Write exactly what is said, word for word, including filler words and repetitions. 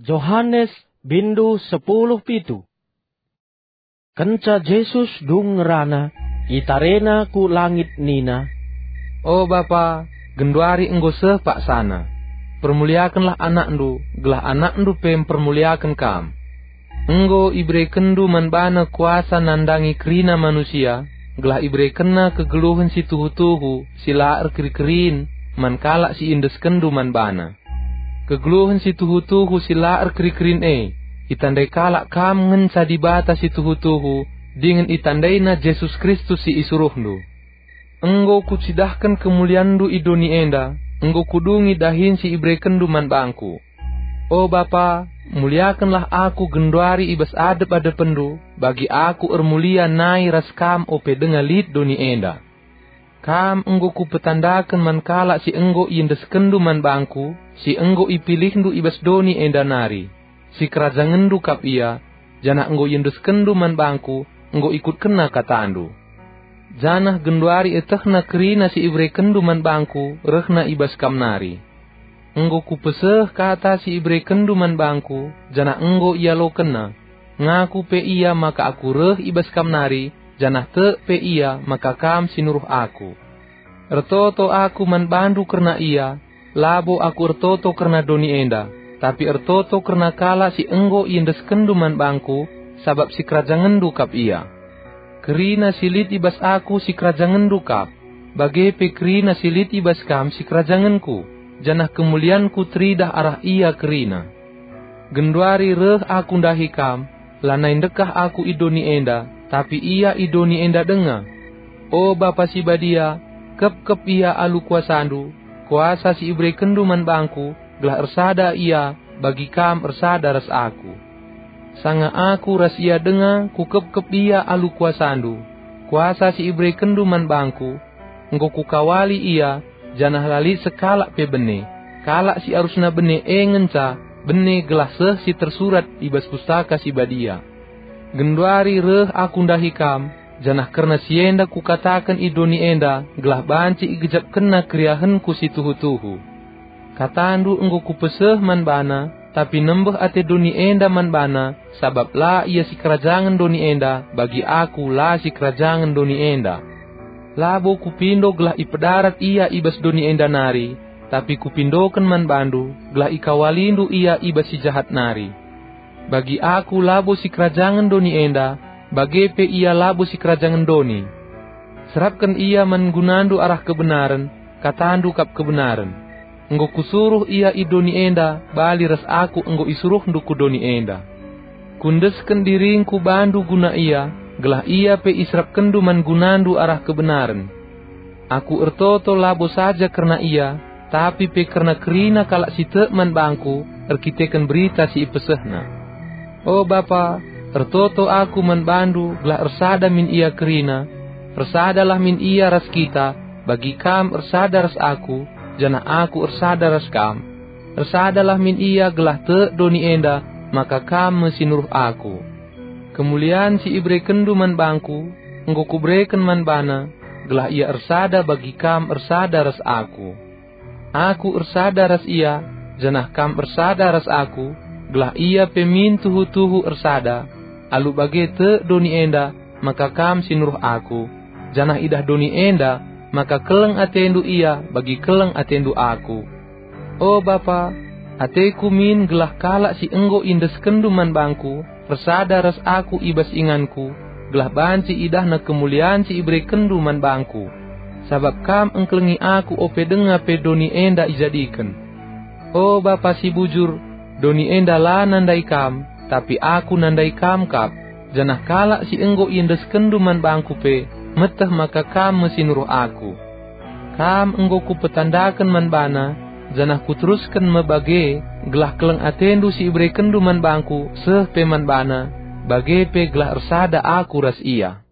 Johanes, bindu sepuluh pitu. Kenca Jesus dung ngerana, itarena ku langit nina, "O Bapa, genduari enggo seh paksana. Permuliakenlah AnakNdu, gelah AnakNdu pe mpermuliaken Kam. Enggo iberekenNdu man baNa kuasa nandangi kerina manusia, gelah iberekenNa kegeluhen si tuhu-tuhu, si la erkeri-kerin, man kalak si iendeskenNdu man baNa. Kegeluhen si tuhu-tuhu si la erkeri-kerin e, itandai kalak Kam ngenca Dibata si tuhu-tuhu, dingen itandaina Jesus Kristus si isuruhNdu. Enggo Kucidahken kemulianNdu i doni enda, enggo Kudungi dahin si iberekenNdu man bangKu. O Bapa, muliakenlah Aku genduari i bas adep-adepndu, bagi Aku ermulia nai ras Kam ope denga lit doni enda. Kam enggo Kupetandaken man kalak si enggo iendeskenNdu man bangKu, si enggo ipilihndu i bas doni enda nari. SikerajangenNdu kap ia, janah enggo iendeskenNdu man bangKu, enggo ikutkenna katandu. Janah genduari ietehna kerina si iberekenNdu man bangKu rehna i bas Kam nari. Enggo Kupeseh kata si iberekenNdu man bangKu, janah enggo ialokenna. Ngaku pe ia maka Aku reh i bas Kam nari, janah tek pe ia maka Kam si nuruh Aku. Ertoto Aku man bandu kerna ia, labo Aku ertoto kerna doni enda, tapi ertoto kerna kalak si enggo iendeskenNdu man bangKu, sabap sikerajangenNdu kap ia. Kerina si lit i bas Aku sikerajangenNdu kap, bage pe kerina si lit i bas Kam sikerajangenKu, janah kemulianKu teridah arah ia kerina. Genduari reh Aku ndahi Kam, lanai ndekah Aku i doni enda, tapi ia i doni enda denga. O Bapa si Badia, kepkep ia alu kuasaNdu, kuasa si iberekenNdu man bangKu, gelah ersada ia bagi Kam ersada ras Aku. Sanga Aku ras ia denga Kukepkep ia alu kuasaNdu, kuasa si iberekenNdu man bangKu, enggo Kukawali ia, janah la lit sekalak pe bene. Kalak si arusna bene e ngenca bene gelah seh si tersurat i bas Pustaka Si Badia. Genduari reh Aku ndahi Kam, janah kerna si enda Kukataken i doni enda gelah banci igejapkenna keriahenKu si tuhu-tuhu. KataNdu enggo Kupeseh man bana, tapi nembeh ate doni enda man bana, sabap la ia sikerajangen doni enda, bagi Aku la sikerajangen doni enda. Labo Kupindo gelah ipedarat ia i bas doni enda nari, tapi Kupindoken man bandu, gelah ikawalindu ia i bas si jahat nari. Bagi Aku labo sikerajangen doni enda, bage pe ia labo sikerajangen doni. Serapken ia man gunandu arah kebenaren, katandu kap kebenaren. Enggo Kusuruh ia i doni enda bali ras Aku enggo isuruhndu ku doni enda. Kuendesken diringKu bandu guna ia, gelah ia pe iserapkenndu man gunandu arah kebenaren. Aku ertoto labo saja kerna ia, tapi pe kerna kerina kalak si tek man bangKu erkiteken berita si ipesehna. O Bapa, ertoto Aku man bandu gelah ersada min ia kerina. Ersadalah min ia ras kita, bagi Kam ersada ras Aku, janah Aku ersada ras Kam. Ersadalah min ia gelah tek doni enda maka Kam me si nuruh Aku. Kemulian si iberekenndu man bangKu, enggo Kubereken man bana, gelah ia ersada bagi Kam ersada ras Aku. Aku ersada ras ia, janah Kam ersada ras Aku, gelah ia pe min tuhu-tuhu ersada. Alu bage tek doni enda maka Kam si nuruh Aku, janah idah doni enda maka keleng atendu ia bagi keleng atendu Aku. O Bapa, ateKu min gelah kalak si enggo iendeskenndu man bangKu ersada ras Aku i bas inganKu, gelah banci idahna kemulian si iberekenndu man bangKu. Sabap Kam engkelengi Aku ope denga pe doni enda ijadiken. O Bapa si bujur, doni enda la nandai Kam, tapi Aku nandai Kam kap, janah kalak si enggo iendeskenndu man bangKu pe meteh maka Kam me si nuruh Aku. Kam enggo Kupetandaken man bana, janah Kuterusken me bage, gelah keleng atendu si iberekenndu man bangKu seh pe man bana, bage pe gelah ersada Aku ras ia.